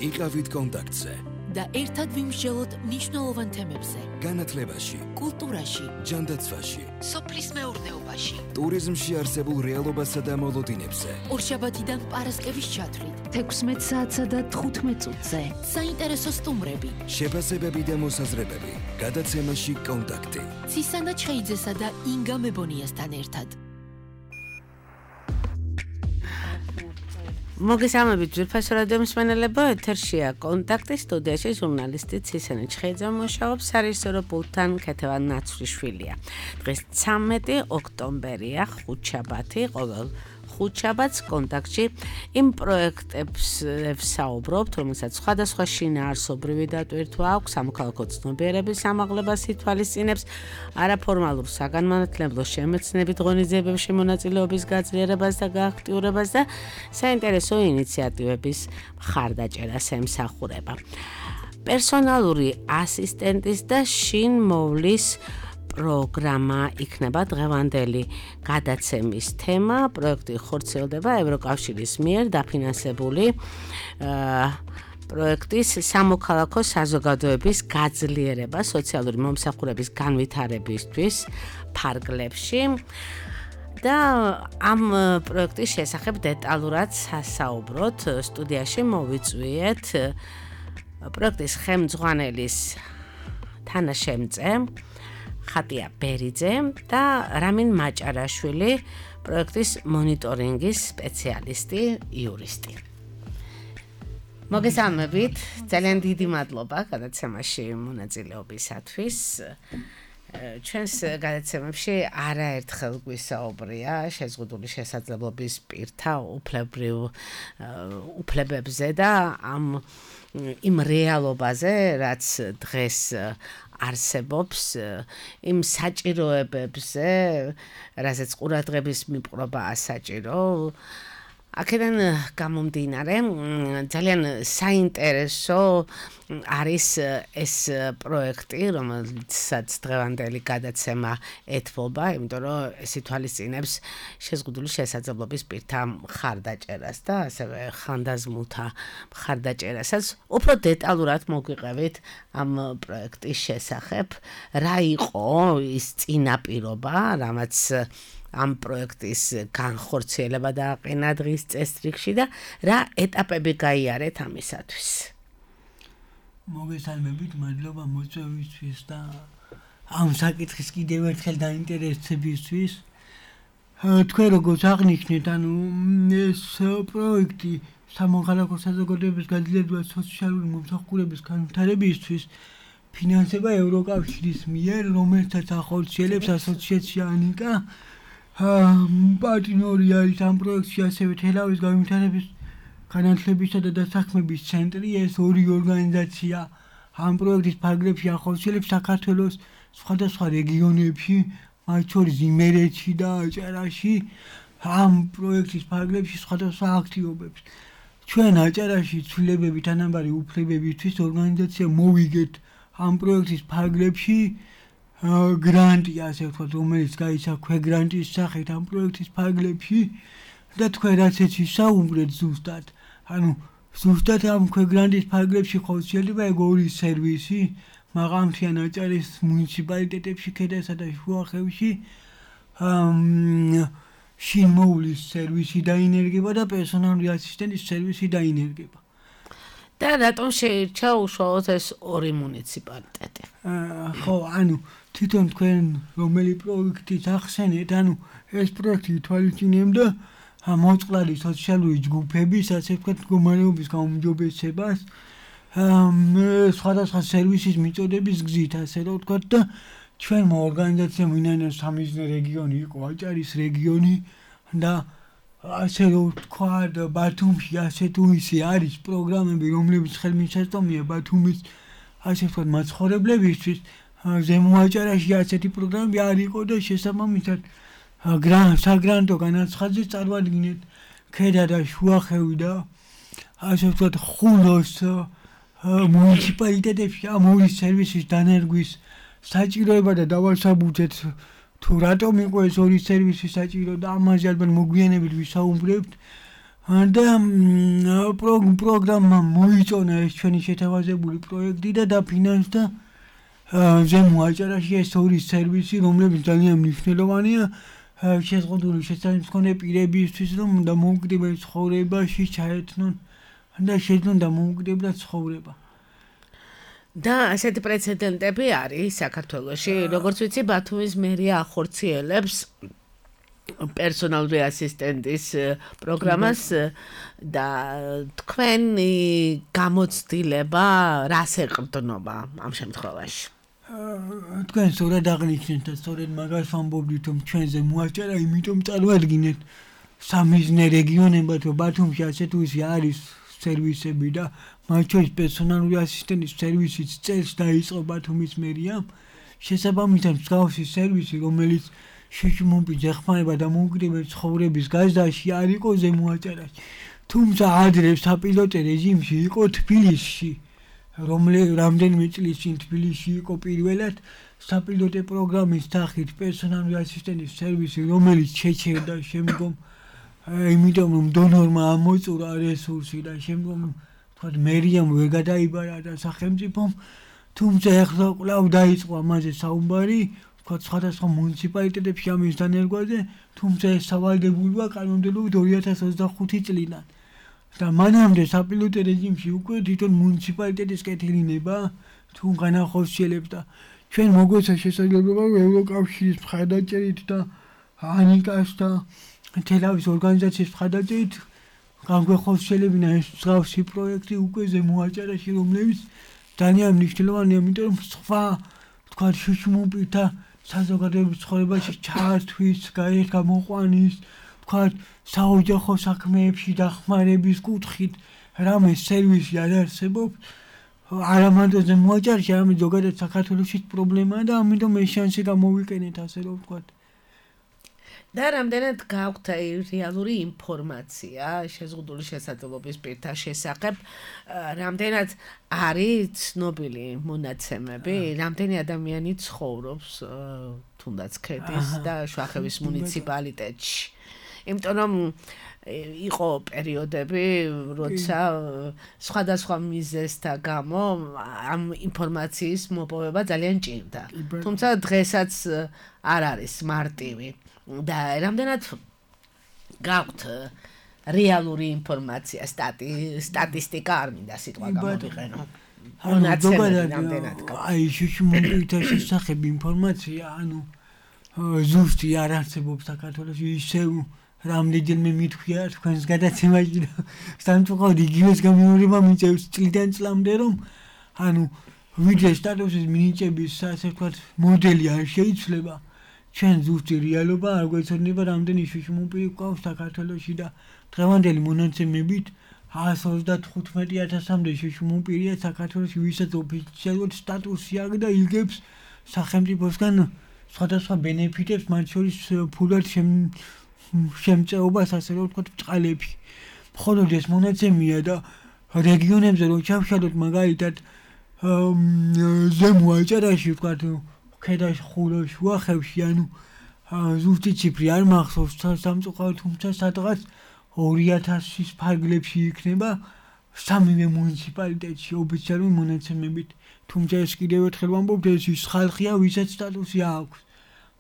იყავით კონტაქტზე და ერთად ვიმსჯელოთ მნიშვნელოვან თემებზე. განათლებაში, კულტურაში, ჯანდაცვაში, სოფლის მეურნეობაში, ტურიზმში არსებულ რეალობასა და მოლოდინებზე. ორშაბათიდან პარასკევის ჩათვლით 16 საათსა და 15 წუთზე. საინტერესო სტუმრები, შეფასებები და მოსაზრებები. გადაცემაში კონტაქტი. ცისანა ჩხეიძესა და ინგა მებონიასთან ერთად. მოგესალმებით ძვირფასო რადიო მსმენელებო, ეთერშია კონტაქტი, სტუდიაში ჟურნალისტი ცისანა ჩხეიძე მუშაობს, სარეჟისორო პულტთან ქეთევან ნაცვლიშვილია. დღეს 13 ოქტომბერია, ხუთშაბათი, ყოველ ხუთშაბათს კონტაქტში იმ პროექტებს ვსაუბრობთ, რომელსაც სხვადასხვა შინაარსობრივი დატვირთვა აქვს, სამოქალაქო ცნობიერების ამაღლებას ითვალისწინებს, არაფორმალურ საგანმანათლებლო შემეცნებით ღონისძიებებში მონაწილეობის გაძლიერებას და გააქტიურებას და საინტერესო ინიციატივების მხარდაჭერას ემსახურება. პერსონალური ასისტენტის და შინ მოვლის პროგრამა იქნება დღევანდელი გადაცემის თემა. პროექტი ხორციელდება ევროკავშირის მიერ დაფინანსებული პროექტის სამოქალაქო საზოგადოების გაძლიერება სოციალური მომსახურების განვითარებისთვის ფარგლებში. და ამ პროექტის შესახებ დეტალურად სასაუბროთ სტუდიაში მოვიწვიეთ პროექტის ხელმძღვანელის თანაშემწე ხატია ბერიძე და რამინ მაჭარაშვილი, პროექტის მონიტორინგის სპეციალისტი, იურისტი. მოგესალმებით, ძალიან დიდი მადლობა გადაცემაში მონაწილეობისათვის. ჩვენს გადაცემებში არაერთხელ გვისაუბრია შეზღუდული შესაძლებლობის პირთა უფლებებზე და იმ რეალობაზე, რაც დღეს არსებობს, იმ საჭიროებებზე, რაზეც ყურადღების მიპყრობაა საჭირო. აქედან გამომდინარე, ძალიან საინტერესო არის ეს პროექტი, რომელსაც დღევანდელი გადაცემა ეთმობა, იმიტომ რომ ეს ითვალისწინებს შეზღუდული შესაძლებლობის პირთა მხარდაჭერას და ასევე ხანდაზმულთა მხარდაჭერასაც. უფრო დეტალურად მოგვიყევით ამ პროექტის შესახებ, რა იყო ის წინაპირობა, რამაც ამ პროექტის განხორციელება დააყენა დღის წესრიგში და რა ეტაპები გაიარეთ ამისათვის. მოგესალმებით, მადლობა მოწვევისთვის და ამ საკითხის კიდევ ერთხელ დაინტერესებისთვის. თქვენ როგორც აღნიშნეთ, ეს პროექტი სამოქალაქო საზოგადოების გაძლიერებას სოციალური მომსახურების განვითარებისთვის ფინანსება ევროკავშირის მიერ, რომელსაც ახორციელებს ასოციაცია ანიკა. პარტნიორი არის ამ პროექტში ასევე თელავის განვითარების განათლებისა და დასაქმების ცენტრი. ეს ორი ორგანიზაცია ამ პროექტის ფარგლებში ახორციელებს საქართველოს სხვადასხვა რეგიონებში, მათ შორის იმერეთში და აჭარაში ამ პროექტის ფარგლებში სხვადასხვა აქტივობებს. ჩვენ აჭარაში ცვლილებები თანაბარი უფლებებისთვის ორგანიზაცია მოვიგეთ ამ პროექტის ფარგლებში გრანტი, ასე ვთქვათ, რომელიც გაიცა ქვეგრანტის სახით ამ პროექტის ფარგლებში და თქვენ რაც ისაუბრეთ ზუსტად, ზუსტად ამ ქვეგრანტის ფარგლებში ხორციელდება ეგ ორი სერვისი, მაღალმთიან აჭარის მუნიციპალიტეტებში, ქედასა და შუახევში შინ მოვლის სერვისი დაინერგება და პერსონალური ასისტენტის სერვისი დაინერგება. და რატომ შეირჩა უშუალოდ ეს ორი მუნიციპალიტეტი? ხო, თვითონ თქვენ რომელი პროექტით ახსენეთ, ეს პროექტი ითვალისწინებდა მოწყვლადი სოციალური ჯგუფების, ასე ვთქვათ, მდგომარეობის გაუმჯობესებას, სხვადასხვა სერვისის მიწოდების გზით, ასე რომ ვთქვათ, და ჩვენმა ორგანიზაციამ ვინაიდან სამიზნე რეგიონი იყო აჭარის რეგიონი და ასე რომ ვთქვათ, ბათუმში ასე თუ ისე არის პროგრამები, რომლებიც ხელმისაწვდომია ბათუმის, ასე ვთქვათ, მაცხოვრებლებისთვის. ზემო აჭარაში ასეთი პროგრამები არ იყო და შესაბამისად საგრანტო განაცხადზე წარმოადგინეთ ქედა და შუახევი და ასე ვთქვათ ხულოს მუნიციპალიტეტებში ამ ორი სერვისის დანერგვის საჭიროება და დავასაბუთეთ თუ რატომ იყო ეს ორი სერვისი საჭირო და ამაზე ალბათ მოგვიანებით ვისაუბრებთ. და პროგრამა მოიწონა ეს ჩვენი შეთავაზებული პროექტი და დაფინანსდა ზემო აჭარაში ეს ორი სერვისი, რომლებიც ძალიან მნიშვნელოვანია შეზღუდული შესაძლებელი მქონე პირებისთვის, რომ უნდა მოუკვდებენ ცხოვრებაში, ჩაეთნონ და შეძლონ და მოუკვდებათ ცხოვრება. და ასეთი პრეცედენტები არის საქართველოში, როგორც ვიცი, ბათუმის მერია ახორციელებს პერსონალური ასისტენტის პროგრამას და თქვენი გამოცდილება რას ეყრდნობა ამ შემთხვევაში? თქვენ სწორად აღნიშნეთ და სწორედ მაგას ვამბობდით, რომ ჩვენზე მოაჭარა, იმიტომ წარმოადგინეთ სამიზნე რეგიონებად, რომ ბათუმში ასეთ უზი არის სერვისები და მათ შორის პერსონალური ასისტენტის სერვისიც წელს დაიწყო ბათუმის მერიამ. შესაბამისად მსგავსი სერვისი, რომელიც შეშმომპი ეხმარება და მოუკვდება ცხოვრების გაზრდაში არ იყო ზემო აჭარაში. თუმცა ადრე საპილოტო რეჟიმში იყო თბილისში. რამდენიმე წლის წინ თბილისში იყო პირველად საპილოტო პროგრამის სახით პერსონალური ასისტენტის სერვისი, რომელიც შეჩერდა შემდგომ, იმიტომ რომ დონორმა ამოწურა რესურსი და შემდგომ თქვათ მერიამ ვერ გადაიბარა და სახელმწიფომ, თუმცა ახლა კვლავ დაიწყო ამაზე საუბარი, თქვათ სხვადასხვა მუნიციპალიტეტებში ამის დანერგვაზე, თუმცა ეს სავალდებულოა კანონმდებლობით 2025 წლიდან. და მანამდე საპილოტო რეჟიმში უკვე თვითონ მუნიციპალიტეტის კეთილინება თუ განახორციელებს და ჩვენ მოგვეცა შესაძლებლობა ევროკავშირის მხარდაჭერით და ანიკას და თელავის ორგანიზაციის მხარდაჭერით განგვეხორციელებინა ეს მსგავსი პროექტი უკვე ზემო აჭარაში, რომლებიც ძალიან მნიშვნელოვანია, იმიტომ რომ სხვა თქვათ შუშმუპირთა საზოგადოების ცხოვრებაში ჩართვის, გარეთ გამოყვანის, თქვათ საოჯახო საქმეებში დახმარების კუთხით რამე სერვისი არ არსებობს, არა მარტო ზემო აჭარაში, არამედ ზოგადად საქართველოშიც პრობლემაა და ამიტომ ეს შანსი გამოვიყენეთ, ასე რომ ვთქვათ. და რამდენად გაქვთ რეალური ინფორმაცია შეზღუდული შესაძლებლობის პირთა შესახებ, რამდენად არის ცნობილი მონაცემები, რამდენი ადამიანი ცხოვრობს თუნდაც ქედის და შუახევის მუნიციპალიტეტში. იმიტომ რომ იყო პერიოდები, როცა სხვადასხვა მიზეზთა გამო ამ ინფორმაციის მოპოვება ძალიან ჭირდა. თუმცა დღესაც არ არის მარტივი. და რამდენად გაქვთ რეალური ინფორმაცია, სტატისტიკა არ მინდა სიტყვა გამოვიყენო. აი შუშმუპირთა შესახებ ინფორმაცია, ზუსტი არ არსებობს საქართველოში, ისევ რამდენჯერმე მithქვია თქვენს გადაცემაში და სამწუხაროდ იგივეს გამეორება მიიწევს წლიდან წლამდე, რომ ვიდრე სტატუსის მინიჭების ასე ვთქვათ მოდელი არ შეიცვლება. ჩვენ ზუსტი რეალობა არ გვეცოდინება, რამდენი შუშმუპირი გვყავს საქართველოში და დღევანდელი მონაცემებით 135,000-მდე შუშმუპირია საქართველოში, ვისაც ოფიციალურად სტატუსი აქვს და იგებს სახელმწიფოსგან სხვადასხვა ბენეფიტებს, მათ შორის ფულად შემწეობას, ასე რომ ვთქვათ, ბწყალებში. მხოლოდ ეს მონაცემია და რეგიონებზე რო ჩავშალოთ, მაგალითად ზემო აჭარაში ვთქვათ, ქედაში, ხულოში, შუახევში, ზუსტი ციფრი არ მახსოვს სამწუხაროდ, თუმცა სადღაც 2000-ის ფარგლებში იქნება სამივე მუნიციპალიტეტში ოფიციალური მონაცემებით. თუმცა ეს კიდევ ერთხელ ვამბობთ, ეს ის ხალხია, ვისაც სტატუსი აქვს.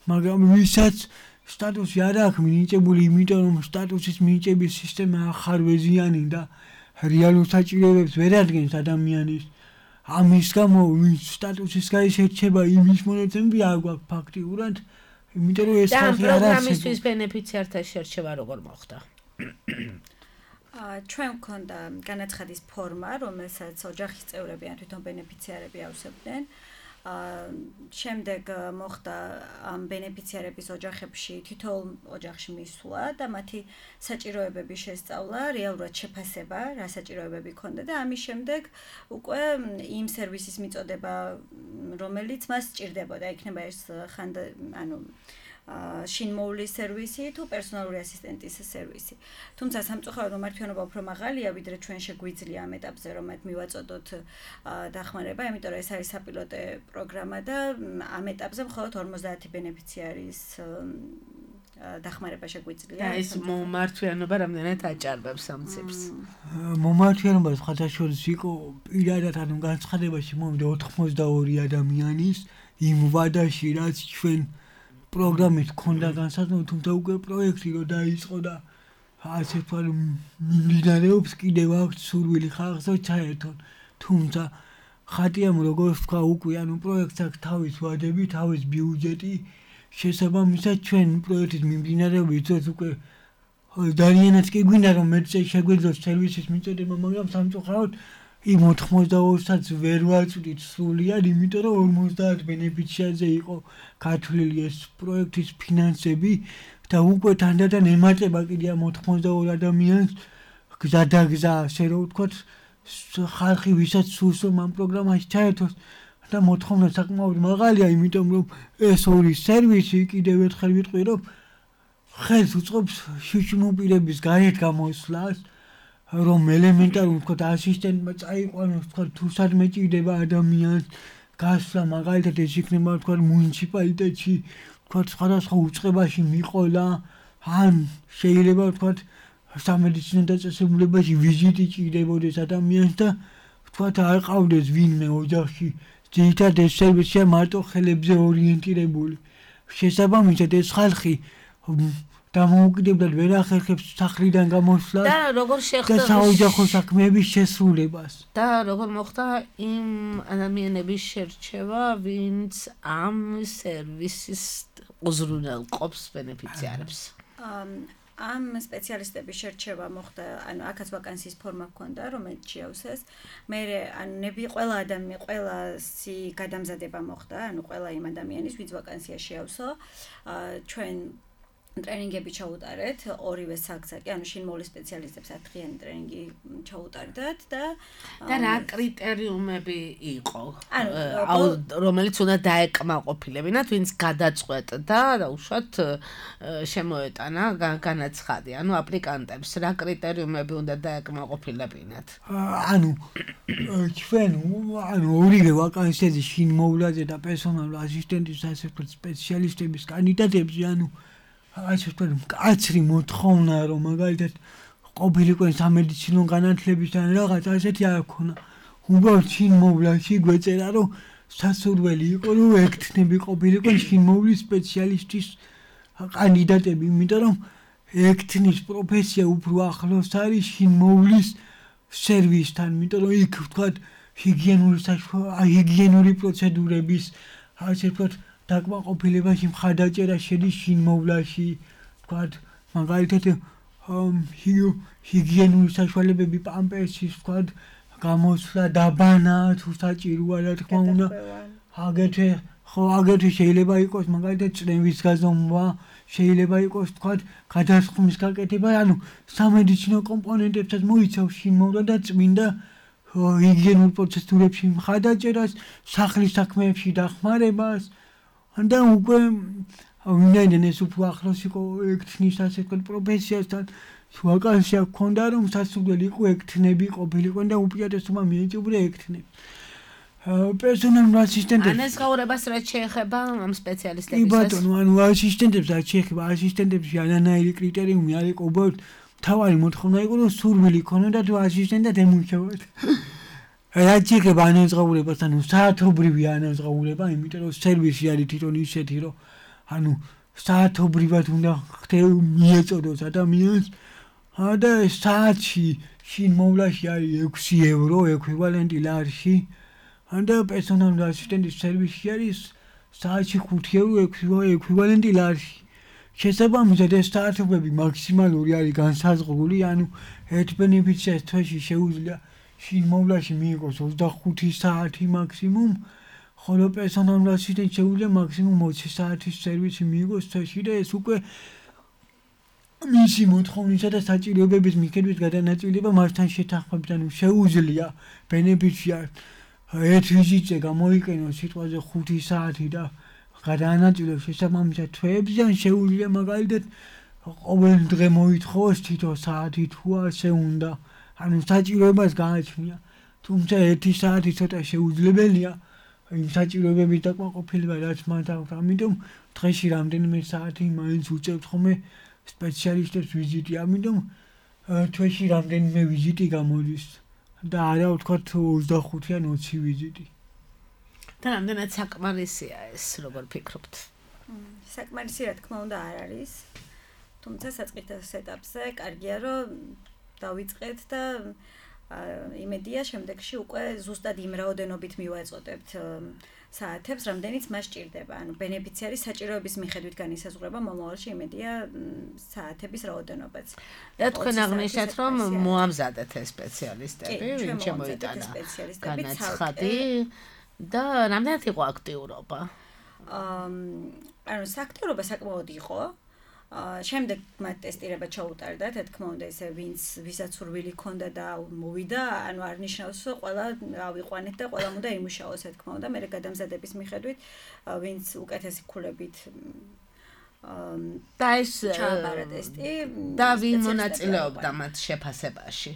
მაგრამ ვისაც სტატუსი არ აქვს მინიჭებული, იმიტომ რომ სტატუსის მინიჭების სისტემა ახარვეზიანი და რეალურ საჭიროებებს ვერ ადგენს ადამიანის. ამის გამო ვინც სტატუსის გარეშე რჩება, იმის მონაცემები არ გვაქვს ფაქტიურად, იმიტომ რომ ეს ხალხი არ არსებობს. და პროგრამისთვის ბენეფიციართა შერჩევა როგორ მოხდა? ჩვენ გვქონდა განაცხადის ფორმა, რომელსაც ოჯახის წევრები ან თვითონ ბენეფიციარები ავსებდნენ. შემდეგ მოხდა ამ ბენეფიციარების ოჯახებში თითოეულ ოჯახში მისვლა და მათი საჭიროებების შესწავლა, რეალურად შეფასება, რა საჭიროებები ჰქონდა და ამის შემდეგ უკვე იმ სერვისის მიწოდება, რომელიც მას სჭირდებოდა, იქნება ეს შინმოვლის სერვისი თუ პერსონალური ასისტენტის სერვისი. თუმცა სამწუხაროდ მართლიანობა უფრო მაღალია, ვიდრე ჩვენ შეგვიძლია ამ ეტაპზე რომ მათ მივაწოდოთ დახმარება, იმიტომ რომ ეს არის საპილოტო პროგრამა და ამ ეტაპზე მხოლოდ 50 ბენეფიციარის დახმარება შეგვიძლია. და ეს მომართვიანობა რამდენად აჭარბებს ამ ციფრს. მომართვიანობა სხვადასხვა იყო პირადად ანუ განცხადებაში მომდა 82 ადამიანის იმ ვადაში რაც ჩვენ პროგრამით ქონდა განსაზღვრული, თუმცა უკვე პროექტი რო დაიწყო და ასე თქვა მიმდინარეობს კიდევ აქვს სურვილი ხალხსა ჩაერთონ. თუმცა ხატიამ როგორც თქვა უკვე ანუ პროექტს აქვს თავის ვადები, თავის ბიუჯეტი, შესაბამისად ჩვენ პროექტის მიმდინარეობით უკვე ძალიანაც კი გვინდა რომ მეც შეგვიძლიოს სერვისის მიწოდება, მაგრამ სამწუხაროდ იმ 82-საც ვერ ვაწვდით სრულიად, იმიტომ რომ 50 ბენეფიციარზე იყო გათვლილი ეს პროექტის ფინანსები და უკვე თანდათან ემატება კიდე ამ 82 ადამიანს გზადაგზა, ასე რომ ვთქვათ, ხალხი ვისაც სურს რომ ამ პროგრამაში ჩაერთოს და მოთხოვნა საკმაოდ მაღალია, იმიტომ რომ ეს ორი სერვისი კიდევ ერთხელ ვიტყვი რომ ხელს უწყობს შიშმოპირების გარეთ გამოსვლას, რომ ელემენტარულ ვთქვათ ასისტენტმა წაიყვანოს ვთქვათ თუ სადმე ჭირდება ადამიანს გასვლა, მაგალითად ეს იქნება ვთქვათ მუნიციპალიტეტში ვთქვათ სხვადასხვა უწყებაში მიყოლა, ან შეიძლება ვთქვათ სამედიცინო დაწესებულებაში ვიზიტი ჭირდებოდეს ადამიანს და ვთქვათ არ ყავდეს ვინმე ოჯახში, ძირითადად ეს სერვისია მარტო ხელებზე ორიენტირებული. შესაბამისად ეს ხალხი დამოუკიდებლად ვერ ახერხებს სახლიდან გამოსვლას და როგორ და შეხვდა საოჯახო საქმეების შესრულებას. და როგორ მოხდა იმ ადამიანების შერჩევა, ვინც ამ სერვისის უზრუნველყოფს ბენეფიციარებს. ამ სპეციალისტების შერჩევა მოხდა, ანუ აქაც ვაკანსიის ფორმა ჰქონდა, რომელიც შეავსეს. მე ანუ ყველასი გადამზადება მოხდა, ანუ ყველა იმ ადამიანის, ვინც ვაკანსია შეავსო, ჩვენ ტრენინგები ჩაუტარეთ, ორივე საგზაკი, ანუ შინმოვლის სპეციალისტებს 10-დღიანი ტრენინგი ჩაუტარდათ და რა კრიტერიუმები იყო? ანუ რომელიც უნდა დაეკმაყოფილებინათ, ვინც გადაწყვეტდა და უშუალოდ შემოეტანა განაცხადი, ანუ აპლიკანტებს რა კრიტერიუმები უნდა დაეკმაყოფილებინათ? ანუ ჩვენ ორივე ვაკანსიაზე შინმოვლაზე და პერსონალურ ასისტენტის ასე ვთქვათ სპეციალისტების კანდიდატებზე, ანუ ასე ვთქვათ, მკაცრი მოთხოვნა რომ მაგალითად ყოფილიყო სამედიცინო განათლების ან რაღაც ასეთი არ ქონა. უბრალოდ შინმოვლაში გვეწერა რომ სასურველი იყო რომ ექთნები ყოფილიყო შინმოვლის სპეციალისტის კანდიდატები, იმიტომ რომ ექთნის პროფესია უფრო ახლოს არის შინმოვლის სერვისთან, იმიტომ რომ იქ ვთქვათ ჰიგიენური პროცედურების ასე ვთქვათ დაკმაყოფილებაში მხარდაჭერა შედის შინმოვლაში, ვთქვათ, მაგალითად ჰიგიენური საშუალებები, პამპერსის, ვთქვათ, გამოსვლა, დაბანა, თუ საჭიროა, რა თქმა უნდა, აგრეთვე შეიძლება იყოს მაგალითად წნევის გაზომვა, შეიძლება იყოს, ვთქვათ, გადასხმის გაკეთება, ანუ სამედიცინო კომპონენტებსაც მოიცავს შინმოვლა და წმინდა ჰიგიენურ პროცედურებში მხარდაჭერას, სახლის საქმეებში დახმარებას. და უკვე ვინაიდან ეს უფრო ახლოს იყო ექთნის ასე ვთქვათ პროფესიასთან, ვაკანსია ჰქონდა რომ სასურველი იყო ექთნები ყოფილიყვნენ და უპირატესობა მიეჭვდა ექთნებს. პერსონალურ ასისტენტებს ან ეს გაურებას რაც შეეხება ამ სპეციალისტებისას? კი ბატონო, ანუ ასისტენტებს რაც შეეხება, ასისტენტებში არანაირი კრიტერიუმი არ იყო, უბრალოდ თავარი მოთხოვნა იყო რომ სურვილი ქონოდა თუ ასისტენტად ემუშავოთ. რაც შეეხება ანაზღაურებას, ანუ საათობრივი ანაზღაურება, იმიტომ რომ სერვისი არის თვითონ ისეთი, რომ ანუ საათობრივად უნდა მიეწოდოს ადამიანს და საათში შინმოვლაში არის 6 ევრო ექვივალენტი ლარში და პერსონალურ ასისტენტის სერვისში არის საათში 5 ევრო ექვივალენტი ლარში. შესაბამისად ეს საათობები მაქსიმალური არის განსაზღვრული, ანუ ერთ ბენეფიციარს თვეში შეუძლია შინმოვლაში მიიღოს 25 საათი მაქსიმუმ, ხოლო პერსონალურ ასისტენტს შეუძლია მაქსიმუმ 20 საათის სერვისი მიიღოს თვეში და ეს უკვე მისი მოთხოვნისა და საჭიროებების მიხედვით გადანაწილება მასთან შეთანხმებით, ანუ შეუძლია ბენეფიციარს ერთ ვიზიტზე გამოიყენოს სიტყვაზე 5 საათი და გადაანაწილოს შესაბამისად თვეებზე, ან შეუძლია მაგალითად ყოველ დღე მოითხოვოს თითო საათი თუ ასე უნდა. ანუ საჭიროებას გააჩნია, თუმცა 1 საათი ცოტა შეუძლებელია, იმ საჭიროებების დაკმაყოფილება რაც მათ აქვს. ამიტომ დღეში რამდენიმე საათი მაინც უწევთ ხოლმე სპეციალისტებს ვიზიტი. ამიტომ თვეში რამდენიმე ვიზიტი გამოდის და არა ვთქვათ 25 ან 20 ვიზიტი. და რამდენად საკმარისია ეს, როგორ ფიქრობთ? საკმარისი რა თქმა უნდა არ არის. თუმცა საწყის ეტაპზე კარგია რომ დავიწყეთ და იმედია შემდეგში უკვე ზუსტად იმ რაოდენობით მივაწოდებთ საათებს, რამდენიც მას ჭირდება. ანუ ბენეფიციარის საჭიროების მიხედვით განისაზღვრება მომავალში იმედია საათების რაოდენობაც. და თქვენ აღნიშნეთ რომ მოამზადეთ ეს სპეციალისტები, ვინ შემოიტანა განაცხადი და რამდენად იყო აქტიურობა? ანუ სააქტიურობა საკმაოდ იყო. შემდეგ მათ ტესტირება ჩაუტარდა, თქმა უნდა ესე ვისაც სურვილი ჰქონდა და მოვიდა, ანუ არ ნიშნავს ყველა ავიყვანეთ და ყველა უნდა იმუშაოს, თქმა უნდა, მე გადამზადების მიხედვით ვინც უკეთესი ქულებით და ეს ჩააბარა ტესტი და ვინ მონაწილეობდა მათ შეფასებაში?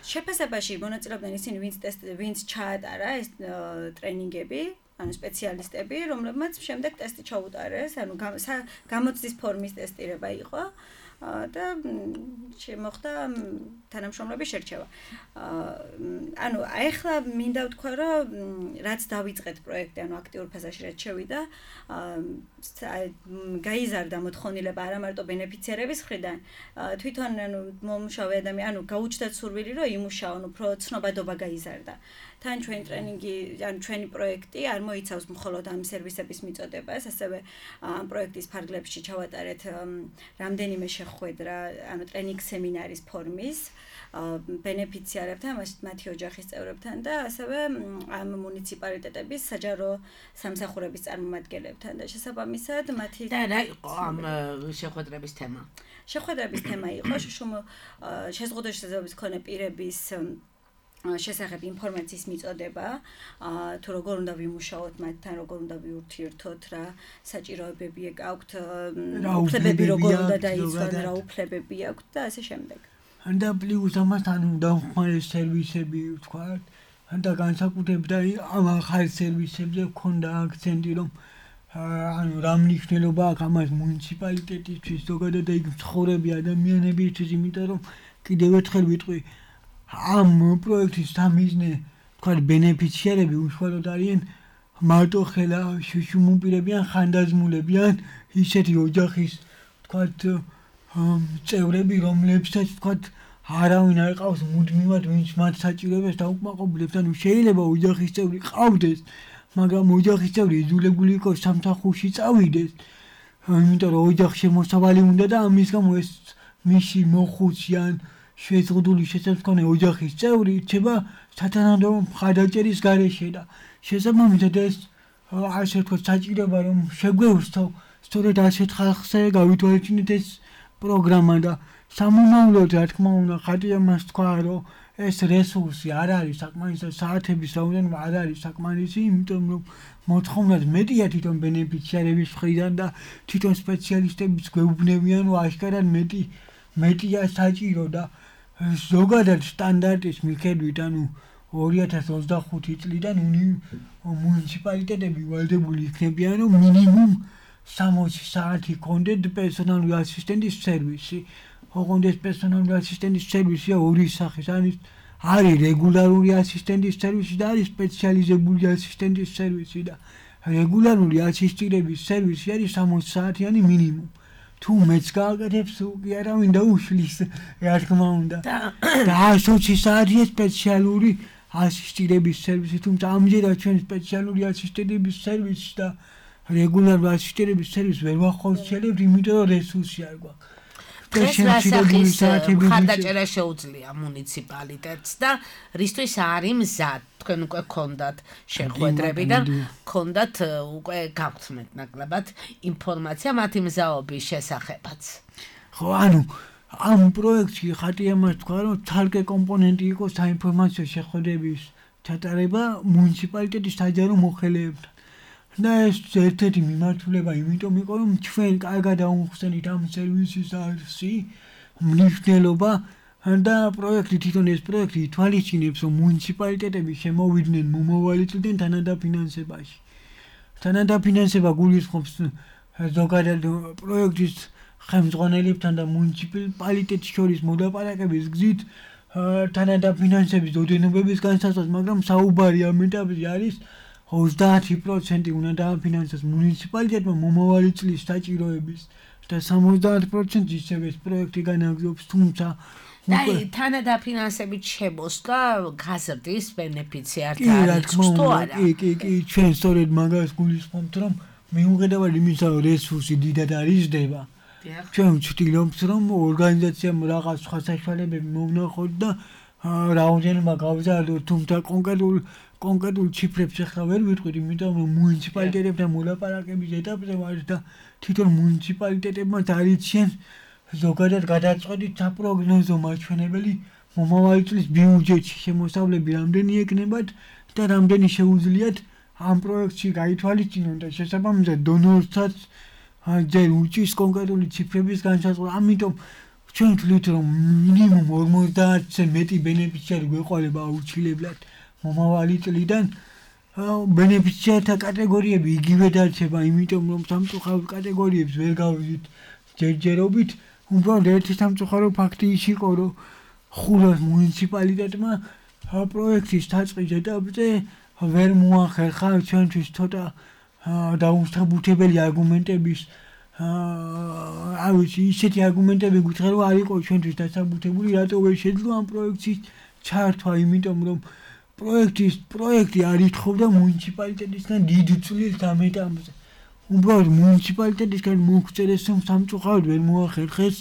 შეფასებაში მონაწილეობდნენ ისინი ვინც ჩაატარა ეს ტრენინგები, ანუ სპეციალისტები, რომლებმაც შემდეგ ტესტი ჩაუტარეს, ანუ გამოცდის ფორმის ტესტირება იყო და შემოხდა თანამშრომლების შერჩევა. ანუ ახლა მინდა ვთქვა, რომ რაც დავიწყეთ პროექტი, ანუ აქტიურ ფაზაში რაც შევიდა, გაიზარდა მოთხოვნილება არა მარტო ბენეფიციარების მხრიდან, თვითონ ანუ მომუშავე ადამიანი, ანუ გაუჩნდათ სურვილი, რომ იმუშაონ, უფრო ცნობადობა გაიზარდა. თან ჩვენი ტრენინგი, ანუ ჩვენი პროექტი არ მოიცავს მხოლოდ ამ სერვისების მიწოდებას, ასევე ამ პროექტის ფარგლებში ჩავატარეთ რამდენიმე შეხვედრა, ანუ ტრენინგ სემინარის ფორმის ბენეფიციარებთან, მათი ოჯახის წევრებთან და ასევე ამ მუნიციპალიტეტების საჯარო სამსახურების წარმომადგენლებთან და შესაბამისად მათი და რა იყო ამ შეხვედრების თემა? შეხვედრების თემა იყო შეზღუდული შესაძლებლობის მქონე პირების შესახებ ინფორმაციის მიწოდება, თუ როგორ უნდა ვიმუშაოთ მათთან, როგორ უნდა ვიურთიერთოთ, რა საჭიროებები აქვთ, უფლებები როგორ უნდა დაიცვან, რა უფლებები აქვთ და ასე შემდეგ. და პლუს ამასთან დამხმარე სერვისები ვთქვათ, და განსაკუთრებით ამ ახალ სერვისებზე ქონდა აქცენტი, რომ ანუ რა მნიშვნელობა აქვს ამას მუნიციპალიტეტისთვის, ზოგადად იქ მცხოვრები ადამიანებისთვის, იმიტომ რომ კიდევ ერთხელ ვიტყვი ამ პროექტის სამიზნე თქვათ ბენეფიციარები უშუალოდ არიან მარტო ხელა შუშუმუპირები ან ხანდაზმულები ან ისეთი ოჯახის თქვათ წევრები, რომლებსაც თქვათ არავინ არ ყავს მუდმივად ვინც მათ საჭიროებას დაუკმაყოფილებს. ანუ შეიძლება ოჯახის წევრი ყავდეს, მაგრამ ოჯახის წევრი იძულებული იყოს სამსახურში წავიდეს, იმიტომ რომ ოჯახში შემოსავალი უნდა და ამის გამო ეს მისი მოხუცი ან შეზღუდული შესაძლებელი ოჯახის წევრი იქნება სათანადო მხარდაჭერის გარეშე და შესაბამისად ეს ასე ვთქვათ საჭიროება რომ შეგვეუსწრო სწორედ ასეთ ხალხზე გავითვალისწინეთ ეს პროგრამა და სამომავლოდ რა თქმა უნდა ხატია მას თქვა რომ ეს რესურსი არ არის საკმარისი საათების რაოდენობა არ არის საკმარისი იმიტომ რომ მოთხოვნად მეტია თვითონ ბენეფიციარების მხრიდან და თვითონ სპეციალისტებიც გვეუბნებიან რომ აშკარად მეტია საჭირო და ზოგადად სტანდარტის მიხედვით ანუ 2025 წლიდან მუნიციპალიტეტები ვალდებული იქნებიან რომ მინიმუმ 60 საათი კონდეთ პერსონალური ასისტენტის სერვისი. ოღონდ ეს პერსონალური ასისტენტის სერვისია ორი სახის, არის რეგულარული ასისტენტის სერვისი და არის სპეციალიზებული ასისტენტის სერვისი და რეგულარული ასისტირების სერვისი არის 60 საათიანი მინიმუმ. თუ მეც გააკეთებს კი არავინ დაუშლის რა თქმა უნდა და 120 საათია სპეციალური ასისტირების სერვისი, თუმცა ამჯერად ჩვენ სპეციალური ასისტირების სერვისს და რეგულარული ასისტირების სერვისს ვერ ვახორციელებთ, იმიტომ რომ რესურსი არ გვაქვს. ეს რასახის მხარდაჭერა შეუძლია მუნიციპალიტეტს და რისთვის არის მზად? თქვენ უკვე გქონდათ შეხვედრები და გქონდათ უკვე გაგვხსნეთ ნაკლებად ინფორმაცია მათი მზაობის შესახებაც. ხო, ანუ ამ პროექტში ხატია მას თქვა რომ თალკე კომპონენტი იყო საინფორმაციო შეხვედრების ჩატარება მუნიციპალიტეტის საჯარო მოხელეებთან. და ეს ერთ-ერთი მიმართულება იმიტომ იყო რომ ჩვენ კარგად აუხსენით ამ სერვისის არსი მნიშვნელობა და პროექტი თვითონ ეს პროექტი ითვალისწინებს, რომ მუნიციპალიტეტები შემოვიდნენ მომავალი წლიდან თანადაფინანსებაში. თანადაფინანსება გულისხმობს ზოგადად პროექტის ხელმძღვანელებთან და მუნიციპალიტეტს შორის მოლაპარაკების გზით თანადაფინანსების ოდენობების განსაზღვრას, მაგრამ საუბარი ამ ეტაპზე არის 30% უნდა დააფინანსოს მუნიციპალიტეტმა მომავალი წლის საჭიროების და 70% ისევ ეს პროექტი განაგრძობს, თუმცა თანადაფინანსებით შემოსვლა გაზრდის ბენეფიციართა არის თუ არა? კი, ჩვენ სწორედ მაგას გულისხმობთ, რომ მიუხედავად იმისა, რომ რესურსი დიდად არ იზრდება, ჩვენ ვცდილობთ, რომ ორგანიზაციამ რაღაც სხვა საშუალებები მოვნახოთ და რაოდენობა გავზარდოთ, თუმცა კონკრეტულ ციფრებს ახლა ვერ ვიტყვით, იმიტომ რომ მუნიციპალიტეტებთან მოლაპარაკების ეტაპზე ვართ და თვითონ მუნიციპალიტეტებმაც არიციან ზოგადად გადაწყვეტით საპროგნოზო მაჩვენებელი მომავალი წლის ბიუჯეტში შემოსავლები რამდენი ეკნებათ და რამდენი შეუძლიათ ამ პროექტში გაითვალისწინონ და შესაბამისად დონორსაც ჯერ უჭირს კონკრეტული ციფრების განსაზღვრა. ამიტომ ჩვენ ვთვლით, რომ მინიმუმ 50-ზე მეტი ბენეფიციარი გვეყოლება აუცილებლად მომავალი წლიდან. ბენეფიციართა კატეგორიები იგივე დარჩება, იმიტომ რომ სამწუხაროდ კატეგორიებს ვერ გავიზით ჯერჯერობით. უბრალოდ ერთი სამწუხარო ფაქტი ის იყო, რომ ხულოს მუნიციპალიტეტმა პროექტის დაწყის ეტაპზე ვერ მოახერხა ჩვენთვის ცოტა დაუსაბუთებელი არგუმენტების ისეთი არგუმენტები გითხრა, რომ არ იყო ჩვენთვის დასაბუთებული, რატო ვერ შეძლო ამ პროექტის ჩართვა, იმიტომ რომ პროექტი არ ითხოვდა მუნიციპალიტეტისგან დიდ წვლილს ამ ეტაპზე. უბრალოდ მუნიციპალიტეტისგან მოგვწერეს, რომ სამწუხაროდ ვერ მოახერხეს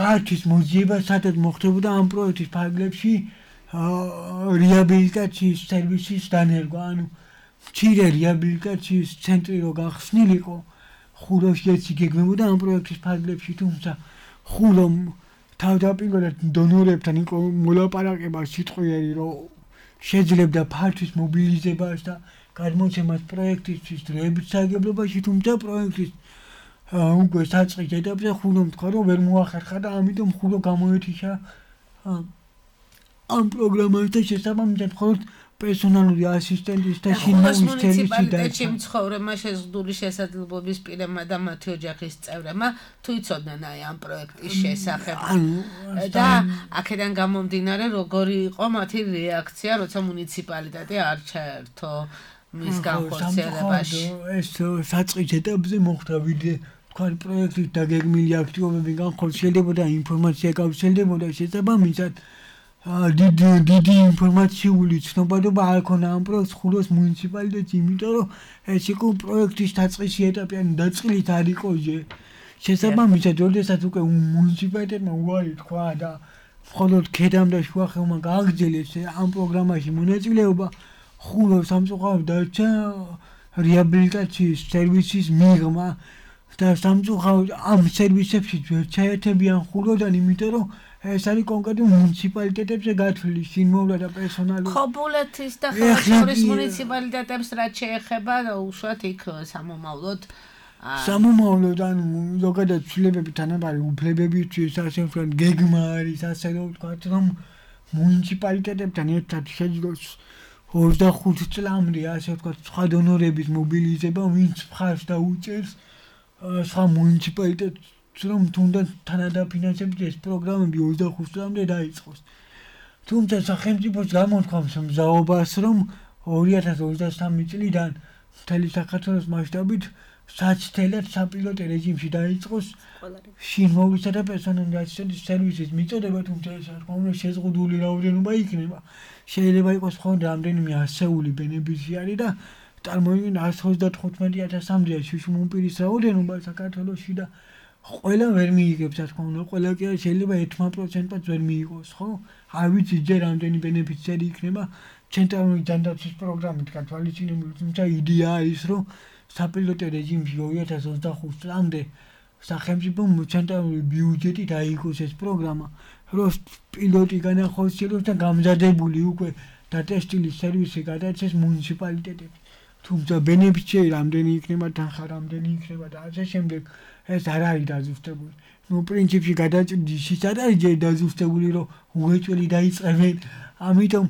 პარტიის მოძიება, სადაც მოხდებოდა ამ პროექტის ფარგლებში რეაბილიტაციის სერვისის დანერგვა, ანუ მცირე რეაბილიტაციის ცენტრი რო გახსნილიყო, ხულოში ეს იგეგმებოდა ამ პროექტის ფარგლებში, თუმცა ხულომ თავდაპირველად დონორებთან იყო მოლაპარაკება სიტყვიერი, რომ შეძლებდა ფართვის მობილიზებას და გადმოცემას პროექტისთვის დროებით სარგებლობაში, თუმცა პროექტის უკვე საწყის ეტაპზე ხულომ თქვა, რომ ვერ მოახერხა და ამიტომ ხულო გამოეთიშა ამ პროგრამას და შესაბამისად მხოლოდ პერსონალური ასისტენტის და შინაური სერვისი და მცხოვრებმა შეზღუდული შესაძლებლობის პირებმა და მათი ოჯახის წევრებმა თუ იცოდნენ ამ პროექტის შესახებ და აქედან გამომდინარე როგორი იყო მათი რეაქცია, როცა მუნიციპალიტეტი არ ჩაერთო მის განხორციელებაში. ეს საწყის ეტაპზე მოხდა ვიდრე თქვენ პროექტის დაგეგმილი აქტივობები განხორციელებოდა, ინფორმაცია გავრცელდებოდა, შესაბამისად დიდი ინფორმაციული ცნობადობა არ ქონა ამ პროექტს ხულოს მუნიციპალიტეტში, იმიტომ რომ ეს იყო პროექტის დაწყისი ეტაპი, ანუ დაწყილით არ იყო ჯერ. შესაბამისად, როდესაც უკვე მუნიციპალიტეტმა უარი თქვა და მხოლოდ ქედამ და შუახევმა გააგრძელეს ამ პროგრამაში მონაწილეობა, ხულო სამწუხაროდ დარჩა რეაბილიტაციის სერვისის მიღმა და სამწუხაროდ ამ სერვისებში ვერ ჩაერთებიან ხულოდან, იმიტომ რომ ეს არის კონკრეტულ მუნიციპალიტეტებზე გათვლილი შინმოვლა და პერსონალური. ხობულეთის და ხევსურეთის მუნიციპალიტეტებს რაც შეეხება, უშუალოდ იქ სამომავლოდ ანუ ზოგადად ცვლილებები თანაბარი უფლებებისთვის ასე ვთქვათ, გეგმა არის, ასე ვთქვათ, რომ მუნიციპალიტეტებთან ერთად შეძლოს 25 წლამდე, ასე ვთქვათ, სხვა დონორების მობილიზება, ვინც მხარს დაუჭერს სხვა მუნიციპალიტეტს, რომ თუნდაც თანადაფინანსებით ეს პროგრამები 25 წლამდე დაიწყოს. თუმცა სახელმწიფოს გამოთქვამს მზაობას, რომ 2023 წლიდან მთელი საქართველოს მასშტაბით საცდელად საპილოტო რეჟიმში დაიწყოს შინმოვლისა და პერსონალური ასისტენტის სერვისის მიწოდება, თუმცა ეს რა შეზღუდული რაოდენობა იქნება. შეიძლება იყოს მხოლოდ რამდენიმე ასეული ბენეფიციარი და წარმოიდგინეთ 135,000-მდეა შუშუმ პირის რაოდენობა საქართველოში და ყველა ვერ მიიღებს, რა თქმა უნდა, ყველა კი შეიძლება 1%-ად ვერ მიიღოს, ხო? არ ვიცი ჯერ რამდენი ბენეფიციარი იქნება ცენტრალური ჯანდაცვის პროგრამით გათვალისწინებული, თუმცა იდეა ის, რომ საპილოტო რეჟიმში 2025 წლამდე სახელმწიფომ ცენტრალური ბიუჯეტით აიღოს ეს პროგრამა, რომ პილოტი განახორციელოს და გამზადებული უკვე დატესტილი სერვისი გადაეცეს მუნიციპალიტეტებს. თუმცა ბენეფიციარი რამდენი იქნება, თანხა რამდენი იქნება და ასე შემდეგ ეს არ არის დაზუსტებული. ნუ პრინციპში გადაწყვეტის ის არ არის ჯერ დაზუსტებული, რომ უღეჭველი დაიწყებენ. ამიტომ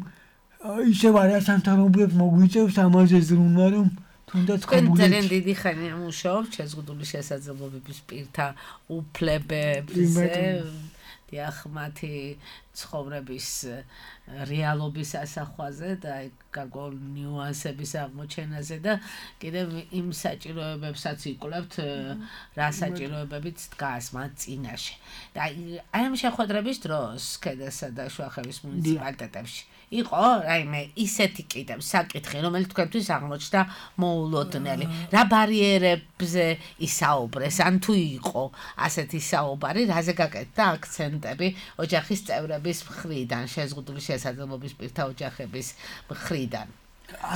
ისევ არასამთავრობოებს მოგვიწევს ამაზე ზრუნვა, რომ თუნდაც ძალიან დიდი ხანია მუშაობ შეზღუდული შესაძლებლობების პირთა უფლებებზე. დიახ, მათი ცხოვრების რეალობის ასახვაზე და გარკვეულ ნიუანსების აღმოჩენაზე და კიდევ იმ საჭიროებებსაც იკვლევთ, რა საჭიროებებიც დგას მათ წინაშე. და აი ამ შეხვედრების დროს ქედასა და შუახევის მუნიციპალიტეტებში იყო რაიმე ისეთი კიდევ საკითხი, რომელიც თქვენთვის აღმოჩნდა მოულოდნელი. რა ბარიერებზე ისაუბრეს, ან თუ იყო ასეთი საუბარი, რაზე გაკეთდა აქცენტები ოჯახის წევრების მხრიდან, შეზღუდული შესაძლებლობის პირთა ოჯახების მხრიდან?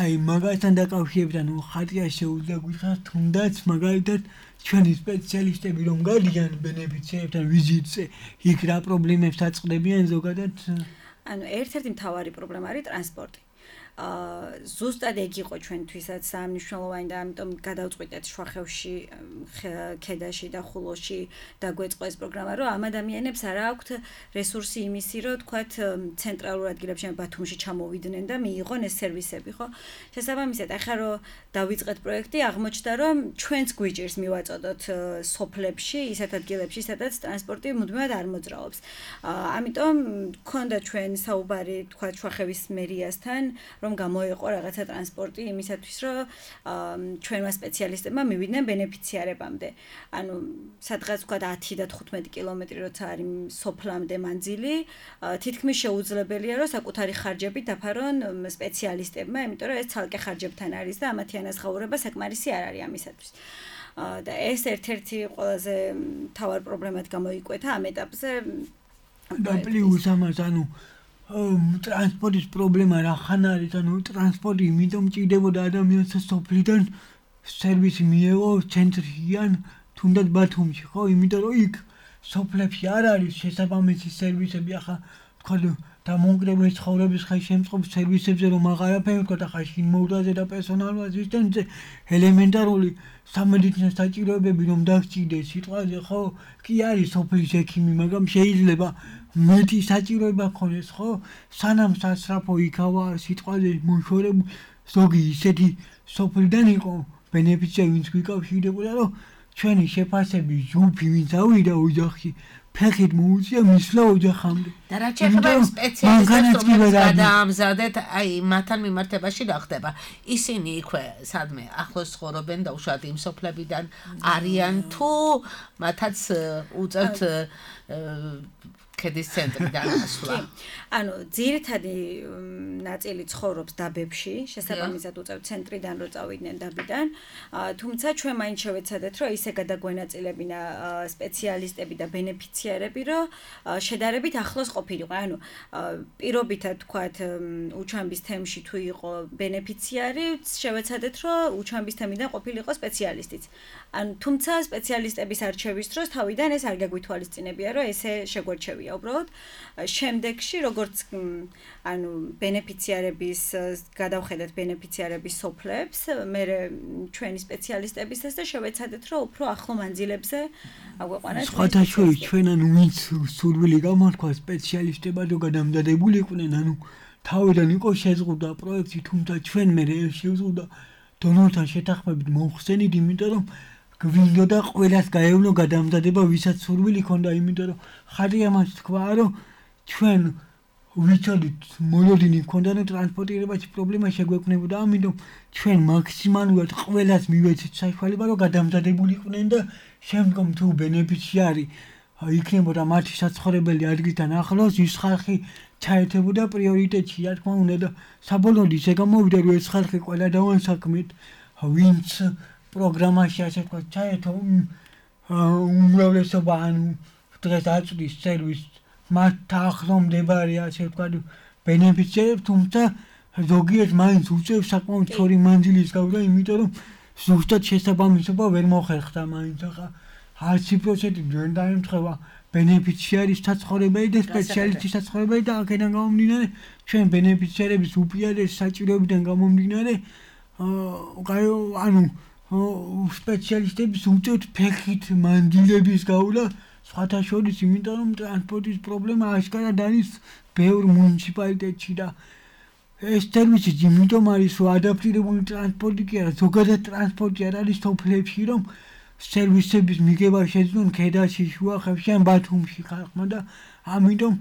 აი, მაგასთან დაკავშირებით, ანუ ხატია შეუძლია გითხრათ, თუნდაც მაგალითად ჩვენი სპეციალისტები რომ გადიან ბენეფიციარებთან ვიზიტზე, იქ რა პრობლემებს აწყდებიან ზოგადად? ანუ ერთ-ერთი მთავარი პრობლემა არის ტრანსპორტი. ზუსტად ეგ იყო ჩვენთვისაც სამნიშნელოვანი და ამიტომ გადავწყვიტეთ შუახევში, ქედაში და ხულოში დაგვეწყო ეს პროგრამა, რომ ამ ადამიანებს არ აქვთ რესურსი იმისი, რომ თქვათ ცენტრალურ ადგილებში ბათუმში ჩამოვიდნენ და მიიღონ ეს სერვისები, ხო? შესაბამისად, ახლა რომ დავიწყეთ პროექტი, აღმოჩნდა, რომ ჩვენც გვიჭირს მივაწოდოთ სოფლებში, ისეთ ადგილებში, სადაც ტრანსპორტი მუდმივად არ მოძრაობს. ამიტომ გქონდა ჩვენ საუბარი, თქვათ შუახევის მერიასთან, რომ გამოიყო რაღაცა ტრანსპორტი იმისათვის, რომ ჩვენმა სპეციალისტებმა მივიდნენ ბენეფიციარებამდე. ანუ სადღაც თქვა 10 და 15 კილომეტრი როცა არის სოფლამდე მანძილი, თითქმის შეუძლებელია, რომ საკუთარი ხარჯებით დაფარონ სპეციალისტებმა, იმიტომ რომ ეს ცალკე ხარჯებთან არის და ამათი ანაზღაურება საკმარისი არ არის ამისათვის. და ეს ერთ-ერთი ყველაზე მთავარ პრობლემად გამოიკვეთა ამ ეტაპზე. და პლუს ამას, ანუ ტრანსპორტის პრობლემა რა ხან არის, ანუ ტრანსპორტი იმიტომ ჭირდებოდა ადამიანს სოფლიდან სერვისი მიეღო ცენტრიდან თუნდაც ბათუმში, ხო? იმიტომ რომ იქ სოფლებში არ არის შესაბამისი სერვისები, ახლა თქვა დამოუკიდებელი ცხოვრების ხელშემწყობის სერვისებზე რომ აღარაფერი ვთქვა და ხა შინმოვლაზე და პერსონალურ ასისტენტზე ელემენტარული სამედიცინო საჭიროებები რომ დაგჭირდეს სიტყვაზე, ხო? კი არის სოფლის ექიმი, მაგრამ შეიძლება მეტი საჭიროება ქონდეს, ხო? სანამ სასწრაფო იქავა სიტყვაზე მოშორებული ზოგი ისეთი სოფლიდან იყო ბენეფიციარი, ვინც გვიკავშირდებოდა, რომ ჩვენი შეფასების ჯგუფი ვინც ავიდა ოჯახში ფეხით მოუწია მისვლა ოჯახამდე. და რაც შეეხება სპეციალისტებს, რომლებიც გადაამზადეთ, აი მათთან მიმართებაში რა ხდება? ისინი იქვე სადმე ახლოს ცხოვრობენ და უშუალოდ იმ სოფლებიდან არიან თუ მათაც უწევთ ქედის ცენტრიდან ასვლა? ანუ ძირითადი ნაწილი ცხოვრობს დაბებში, შესაბამისად უწევთ ცენტრიდან რო წავიდნენ დაბიდან, თუმცა ჩვენ მაინც შევეცადეთ, რომ ისე გადაგვენაწილებინა სპეციალისტები და ბენეფიციარები, რომ შედარებით ახლოს ყოფილიყო. ანუ პირობითად თქვათ უჩამბის თემში თუ იყო ბენეფიციარი, შევეცადეთ, რომ უჩამბის თემიდან ყოფილიყო სპეციალისტიც. ანუ თუმცა სპეციალისტების არჩევის დროს თავიდან ეს არ გაგვითვალისწინებია, რომ ესე შეგვერჩევია უბრალოდ. შემდეგში როგორც ანუ ბენეფიციარების გადავხედეთ ბენეფიციარების სოფლებს, მე ჩვენი სპეციალისტებისაც და შევეცადეთ, რომ უფრო ახლო მანძილებზე აგვეყვანათ. სხვათა შორის ჩვენ ანუ ვინც სურვილი გამოთქვა სპეციალისტებად რომ გადამზადებულიყვნენ, ანუ თავიდან იყო შეზღუდა პროექტი, თუმცა ჩვენ მე შევზღუდა დონორთან შეთანხმებით მოხსენით, იმიტომ რომ გვინდოდა ყველას გაევნო გადამზადება, ვისაც სურვილი ჰქონდა, იმიტომ რომ ხარია მას თქვა, რომ ჩვენ ვიცოდით მოლოდინი ჰქონდა, რომ ტრანსპორტირებაში პრობლემა შეგვექმნებოდა, ამიტომ ჩვენ მაქსიმალურად ყველას მივეცეთ საშუალება, რომ გადამზადებულიყვნენ და შემდგომ თუ ბენეფიციარი იქნებოდა მათი საცხოვრებელი ადგილთან ახლოს, ის ხალხი ჩაერთებოდა პრიორიტეტში, რა თქმა უნდა და საბოლოოდ ისე გამოვიდა, რომ ეს ხალხი ყველა დავანსაქმეთ, ვინც პროგრამაში ასე თქვა ჩაერთო, უმრავლესობა ანუ დღეს აწვდის სერვისს მათ ახლო მდებარე ასე თქვა ბენეფიციარებს, თუმცა ზოგიერთ მაინც უწევს საკმაოდ სწორი მანძილის გავდა, იმიტომ რომ ზუსტად შესაბამისობა ვერ მოხერხდა მაინც. ახლა 100% ვერ დაემთხევა ბენეფიციარის საცხოვრებელი და სპეციალისტის საცხოვრებელი და აქედან გამომდინარე ჩვენ ბენეფიციარების უპირატეს საჭიროებიდან გამომდინარე ანუ სპეციალისტების უწევთ ფეხით მანდილების გავლა სხვათა შორის, იმიტომ რომ ტრანსპორტის პრობლემა აშკარად არის ბევრ მუნიციპალიტეტში და ეს სერვისი იმიტომ არის, რომ ადაპტირებული ტრანსპორტი კი არა, ზოგადად ტრანსპორტი არ არის სოფლებში, რომ სერვისების მიღება შეძლონ ქედაში, შუახევში ან ბათუმში ხალხმა და ამიტომ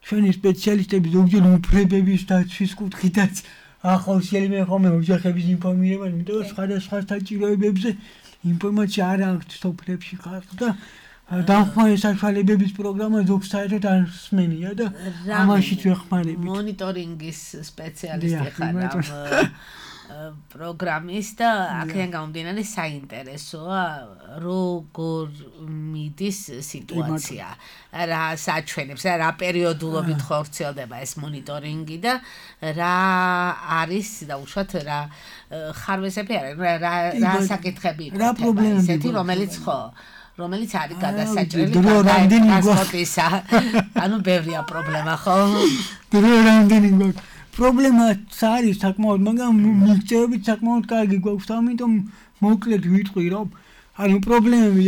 ჩვენი სპეციალისტები ზოგჯერ უფლებების დაცვის კუთხითაც ახორციელებენ ხოლმე ოჯახების ინფორმირებას, იმიტომ რომ სხვადასხვა საჭიროებებზე ინფორმაცია არ აქვს სოფლებში ხალხს და დამხმარე საშუალებების პროგრამა ზოგ საერთოდ არ სმენია და ამაშიც ვეხმარებით. მონიტორინგის სპეციალისტი ხარ პროგრამის და აქედან გამომდინარე საინტერესოა როგორ მიდის სიტუაცია, რა საჩვენებს, რა პერიოდულობით ხორციელდება ეს მონიტორინგი და რა არის დაუშვათ რა ხარვეზები არის, რა საკითხები იქნება ისეთი, რომელიც არის გადასაჭრელი ტრანსპორტისა. ანუ ბევრია პრობლემა, ხო? პრობლემაც არის საკმაოდ, მაგრამ მიღწევებით საკმაოდ კარგი გვაქვს, ამიტომ მოკლედ ვიტყვი, რომ ანუ პრობლემები,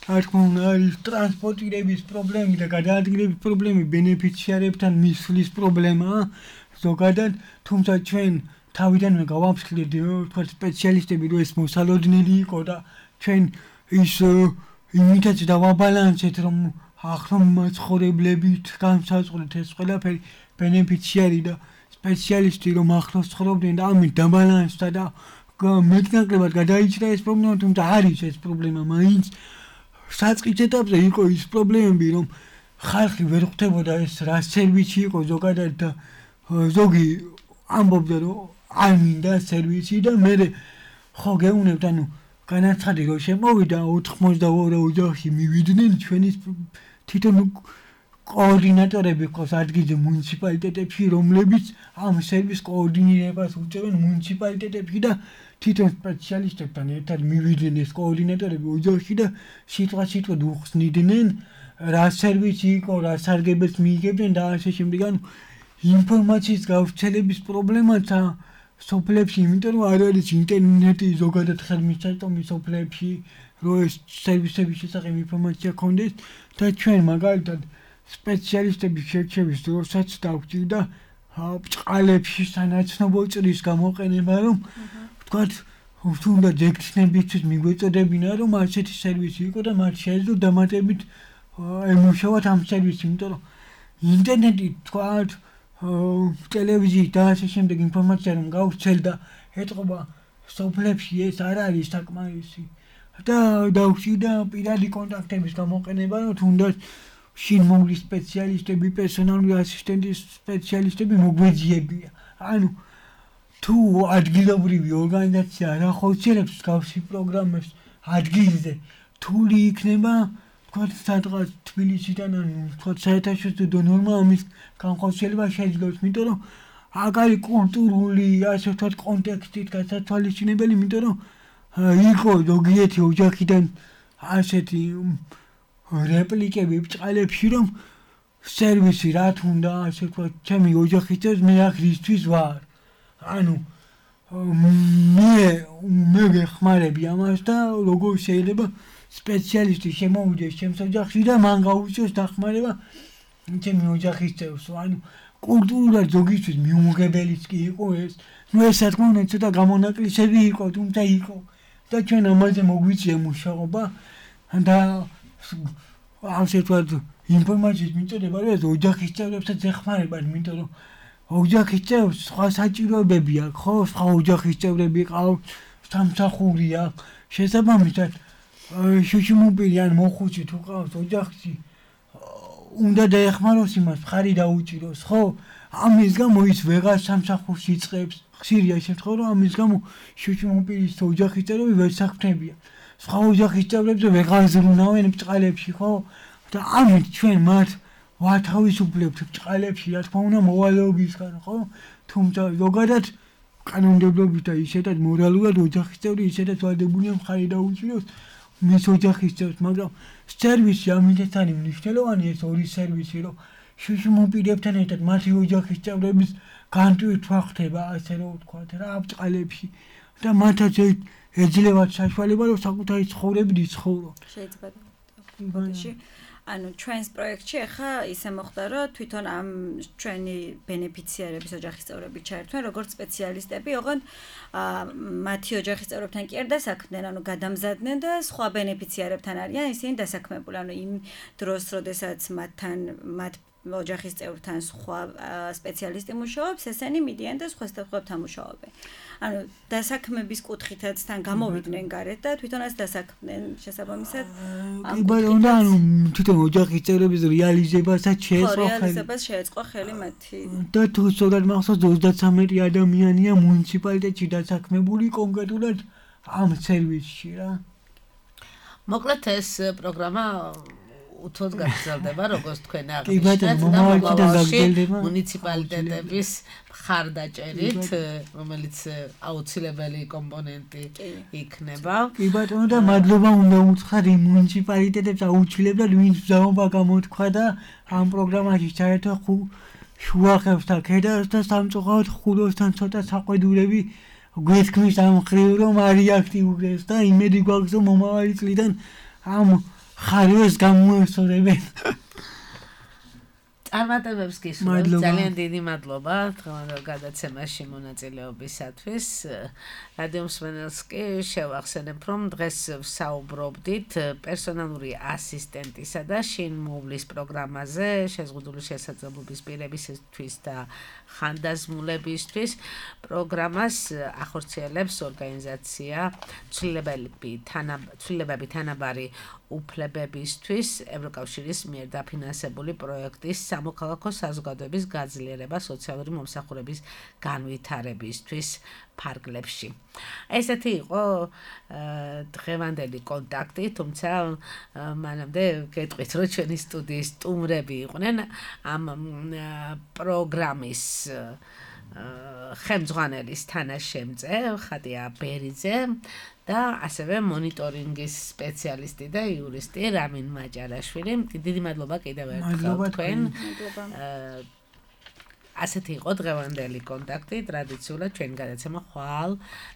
რა თქმა უნდა, არის ტრანსპორტირების პრობლემები და გადაადგილების პრობლემები, ბენეფიციარებთან მისვლის პრობლემაა ზოგადად, თუმცა ჩვენ თავიდანვე გავამსხლეთ, ვთქვათ, სპეციალისტები, რომ ეს მოსალოდნელი იყო და ჩვენ ის იმითაც დავაბალანსეთ, რომ ახლა მაცხოვრებლებით განსაზღვრეთ ეს ყველაფერი ბენეფიციარი და სპეციალისტი რომ ახლოს ცხოვრობდნენ და ამით დაბალანსდა და მეტნაკლებად გადაიჭრა ეს პრობლემა, თუმცა არის ეს პრობლემა მაინც საწყის ეტაპზე იყო ის პრობლემები, რომ ხალხი ვერ ხვდებოდა ეს რა სერვისი იყო ზოგადად და ზოგი ამბობდა, რომ არ მინდა სერვისი და მე ხო გეუნებთ, ანუ განაცხადი რომ შემოვიდა 82 ოჯახი მივიდნენ ჩვენი თვითონ კოორდინატორები ყავს ადგილზე მუნიციპალიტეტებში, რომლებიც ამ სერვისს კოორდინირებას უწევენ მუნიციპალიტეტებში და თვითონ სპეციალისტებთან ერთად მივიდნენ ეს კოორდინატორები ოჯახში და სიტყვასიტყვად უხსნიდნენ რა სერვისი იყო, რა სარგებელს მიიღებდნენ და ასე შემდეგ. ანუ ინფორმაციის გავრცელების პრობლემაცა სოფლებში, იმიტომ რომ არ არის ინტერნეტი ზოგადად ხელმისაწვდომი სოფლებში, რომ ეს სერვისების შესახებ ინფორმაცია ქონდეს და ჩვენ მაგალითად სპეციალისტების შერჩევის დროსაც დავჭირდა ბჭყალებში სანაცნობო წრის გამოყენება, რომ ვთქვათ, თუნდაც ექცნებისთვის მიგვეწოდებინა, რომ ასეთი სერვისი იყო და მათ შეეძლო დამატებით ემუშავათ ამ სერვისს, იმიტომ რომ ინტერნეტი ვთქვათ, ტელევიზიით და ასე შემდეგ ინფორმაცია რომ გავრცელდა ეტყობა სოფლებში ეს არ არის საკმარისი და დავჭირდა პირადი კონტაქტების გამოყენება, რომ თუნდაც შინმოვლის სპეციალისტები, პერსონალური ასისტენტის სპეციალისტები მოგვეძიებია. ანუ თუ ადგილობრივი ორგანიზაცია არ ახორციელებს მსგავსი პროგრამებს ადგილზე, რთული იქნება ვთქვათ, სადღაც თბილისიდან ან ვთქვათ საერთაშორისო ნორმა ამის განხორციელება შეძლოს, იმიტომ რომ აქ არის კულტურული, ასე ვთქვათ, კონტექსტით გასათვალისწინებელი, იმიტომ რომ იყო ზოგიერთი ოჯახიდან ასეთი რეპლიკები ბჭყალებში, რომ სერვისი რა თუნდა, ასე ვთქვათ, ჩემი ოჯახის წევრს მე აქ რისთვის ვარ. ანუ მე ვეხმარები ამას და როგორ შეიძლება სპეციალისტი შემოვიდეს ჩემს ოჯახში და მან გაუწიოს დახმარება ჩემი ოჯახის წევრს. ანუ კულტურულად ზოგისთვის მიუღებელიც კი იყო ეს. ნუ ეს რა თქმა უნდა ცოტა გამონაკლისები იყო, თუმცა იყო და ჩვენ ამაზე მოგვიწია მუშაობა და ასე ვთქვათ, ინფორმაციის მიწოდება, რომ ეს ოჯახის წევრებსაც ეხმარებათ, იმიტომ რომ ოჯახის წევრს სხვა საჭიროებები აქვს, ხო, სხვა ოჯახის წევრები ყავს, სამსახური აქვს, შესაბამისად შუშიმობილი ან მოხუცი თუ ყავს ოჯახში, უნდა დაეხმაროს იმას, მხარი დაუჭიროს, ხო? ამის გამო ის ვეღარ სამსახურს იწყებს, ხშირია შემთხვევა, რომ ამის გამო შუშიმობილის ოჯახის წევრები ვერ საქმდებიან. სხვა ოჯახის წევრებზე ვეღარ ზრუნავენ ბჭყალებში, ხო? და ამით ჩვენ მათ ვათავისუფლებთ ბჭყალებში, რა თქმა უნდა, მოვალეობისგან, ხო? თუმცა ზოგადად კანონმდებლობით და ისედაც მორალურად ოჯახის წევრი ისედაც ვალდებულია მხარი დაუჭიროს მის ოჯახის წევრს, მაგრამ სერვისი ამიტაც არის მნიშვნელოვანი ეს ორი სერვისი, რომ შუშიმობილებთან ერთად მათი ოჯახის წევრების განტვირთვა ხდება, ასე რომ ვთქვათ, რა ბჭყალებში და მათაც ეძლევათ საშუალება რომ საკუთარი ცხოვრებით იცხოვრო. შეიძლება ანუ ჩვენს პროექტში ახლა ისე მოხდა რომ თვითონ ამ ჩვენი ბენეფიციარების ოჯახის წევრები ჩაერთვენ როგორც სპეციალისტები, ოღონდ მათი ოჯახის წევრებთან კი არ დასაქმდნენ, ანუ გადამზადდნენ და სხვა ბენეფიციარებთან არიან ისინი დასაქმებული, ანუ იმ დროს, როდესაც მათ ოჯახის წევრთან სხვა სპეციალისტი მუშაობს, ესენი მიდიან და სხვა სტაფებთან მუშაობენ. ანუ დასაქმების კუთხითაც თან გამოვიდნენ გარეთ და თვითონაც დასაქმდნენ შესაბამისად. კი ბატონო, ანუ თვითონ ოჯახის წევრების რეალიზებასაც შეეწყო ხელი მათი. და თუ სწორად მახსოვს 33 ადამიანია მუნიციპალიტეტში დასაქმებული კონკრეტულად ამ სერვისში რა. მოკლედ ეს პროგრამა უთოდ გაგრძელდება, როგორც თქვენ აღნიშნეთ, მუნიციპალიტეტების მხარდაჭერით, რომელიც აუცილებელი კომპონენტი იქნება. კი ბატონო და მადლობა უნდა უთხრათ იმ მუნიციპალიტეტებს აუცილებლად ვინც ბრძანება გამოთქვა და ამ პროგრამაში ჩაერთვა შუახევს და ქედას და სამწუხაროდ ხულოსთან ცოტა საყვედურები გვეთქმის ამ მხრივ რომ არ იაქტიურებს და იმედი გვაქვს რომ მომავალი წლიდან ამ ხარვეს გამოესწორებენ. წარმატებებს გისურვებთ. ძალიან დიდი მადლობა დღევანდელ გადაცემაში მონაწილეობისათვის. რადიო მსმენელს კი შევახსენებ, რომ დღეს ვსაუბრობდით პერსონალური ასისტენტისა და შინ მოვლის პროგრამაზე შეზღუდული შესაძლებლობის პირებისთვის და ხანდაზმულებისთვის. პროგრამას ახორციელებს ორგანიზაცია ცვლილებები თანაბარი უფლებებისთვის ევროკავშირის მიერ დაფინანსებული პროექტის სამოქალაქო საზოგადოების გაძლიერება სოციალური მომსახურების განვითარებისთვის ფარგლებში. ესეთი იყო დღევანდელი კონტაქტი, თუმცა მანამდე გეტყვით, რომ ჩვენი სტუდიის სტუმრები იყვნენ ამ პროგრამის ხელმძღვანელის თანაშემწე ხატია ბერიძე და ასევე მონიტორინგის სპეციალისტი და იურისტი რამინ მაჭარაშვილი. დიდი მადლობა კიდევ ერთხელ თქვენ. ასეთი იყო დღევანდელი კონტაქტი. ტრადიციულად ჩვენი გადაცემა ხვალ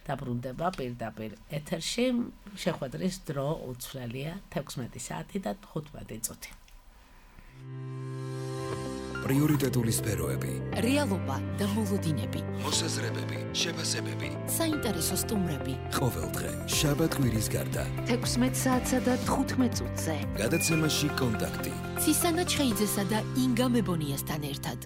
დაბრუნდება პირდაპირ ეთერში. შეხვედრის დრო უცვლელია 16 საათი და 15 წუთი. პრიორიტეტული სფეროები, რეალობა და მოლოდინები, მოსაზრებები, შეფასებები, საინტერესო სტუმრები. ყოველდღე შაბათ-კვირის გარდა 16 საათსა და 15 წუთზე გადაცემაში კონტაქტი. ცისანა ჩხეიძესა და ინგა მებონიასთან ერთად.